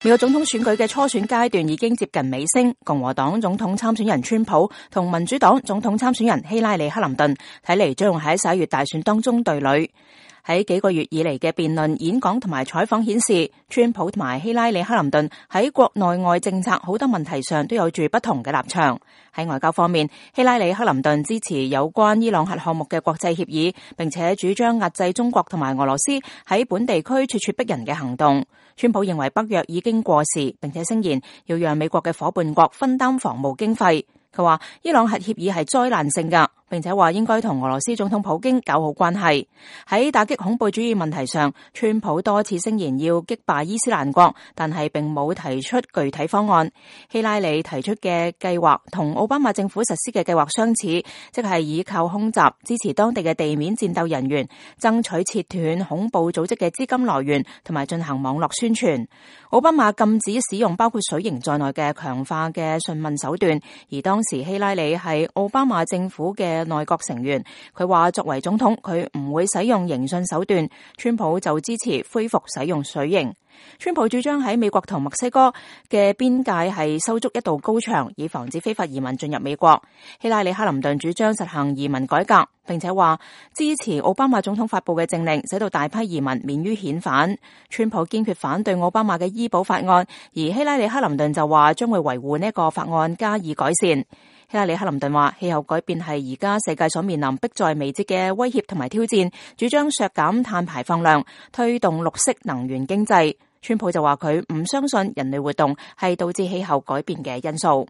美國總統選舉嘅初選階段已經接近尾聲，共和黨總統參選人川普同民主黨總統參選人希拉里克林頓睇嚟將會喺11月大選當中對壘。喺幾個月以嚟嘅辯論、演講同埋採訪顯示，川普同埋希拉里克林頓喺國內外政策好多問題上都有住不同嘅立場。喺外交方面，希拉里克林頓支持有關伊朗核項目嘅國際協議，並且主張壓制中國同埋俄羅斯喺本地區咄咄逼人嘅行動。川普認為北約已經過時，並且聲言要讓美國嘅夥伴國分擔防務經費。佢話伊朗核協議係災難性㗎，並且話應該同俄羅斯總統普京搞好關係。喺打擊恐怖主義問題上，川普多次聲言要擊敗伊斯蘭國，但係並冇提出具體方案。希拉里提出嘅計劃同奧巴馬政府實施嘅計劃相似，即係依靠空襲支持當地嘅地面戰鬥人員，爭取切斷恐怖組織嘅資金來源，同埋進行網絡宣傳。奧巴馬禁止使用包括水刑在內嘅強化嘅訊問手段，而當時希拉里係奧巴馬政府嘅內閣成員，佢話作為總統佢唔會使用刑訊手段，川普就支持恢復使用水刑。川普主張喺美國同墨西哥嘅邊界係修築一道高牆，以防止非法移民進入美國。希拉里克林頓主張實行移民改革，並且話支持奧巴馬總統發布嘅政令，使到大批移民免於遣返。川普堅決反對奧巴馬嘅醫保法案，而希拉里克林頓就話將會維護呢個法案加以改善。希拉里克林頓話氣候改變係而家世界所面臨迫在眉睫嘅威脅同埋挑戰，主張削減碳排放量，推動綠色能源經濟。川普就話佢唔相信人類活動係導致氣候改變嘅因素。